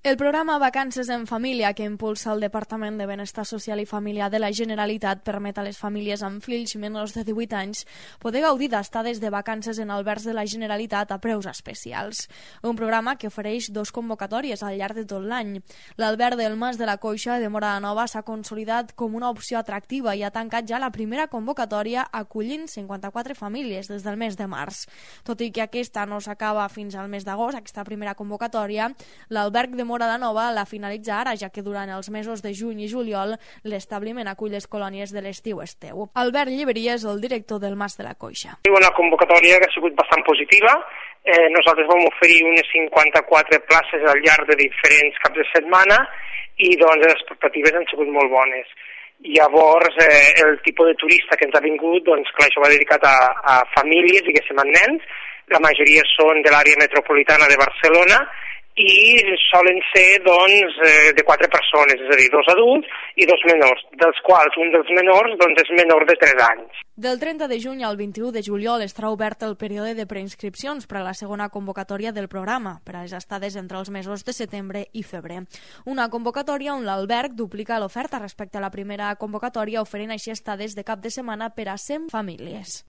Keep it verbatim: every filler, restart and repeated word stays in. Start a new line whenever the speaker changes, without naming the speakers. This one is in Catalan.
El programa Vacances en Família, que impulsa el Departament de Benestar Social i Familiar de la Generalitat, permet a les famílies amb fills menors de divuit anys poder gaudir d'estades de vacances en albergs de la Generalitat a preus especials. Un programa que ofereix dos convocatòries al llarg de tot l'any. L'alberg del Mas de la Coixa de Móra la Nova s'ha consolidat com una opció atractiva i ha tancat ja la primera convocatòria acollint cinquanta-quatre famílies des del mes de març. Tot i que aquesta no s'acaba fins al mes d'agost, aquesta primera convocatòria, l'alberg de Móra la Nova la finalitza ara, ja que durant els mesos de juny i juliol l'establiment acull les colònies de l'estiu-esteu. Albert Lliberia és el director del Mas de la Coixa.
Una convocatòria que ha sigut bastant positiva. Eh, nosaltres vam oferir unes cinquanta-quatre places al llarg de diferents caps de setmana i doncs les expectatives han sigut molt bones. Llavors, eh, el tipus de turista que ens ha vingut, doncs clar, això va dedicat a, a famílies, diguéssim, a nens. La majoria són de l'àrea metropolitana de Barcelona i solen ser doncs, de quatre persones, és a dir, dos adults i dos menors, dels quals un dels menors doncs, és menor de tres anys.
Del trenta de juny al vint-i-u de juliol estarà obert el període de preinscripcions per a la segona convocatòria del programa, per a les estades entre els mesos de setembre i febrer. Una convocatòria on l'alberg duplica l'oferta respecte a la primera convocatòria, oferint així estades de cap de setmana per a cent famílies.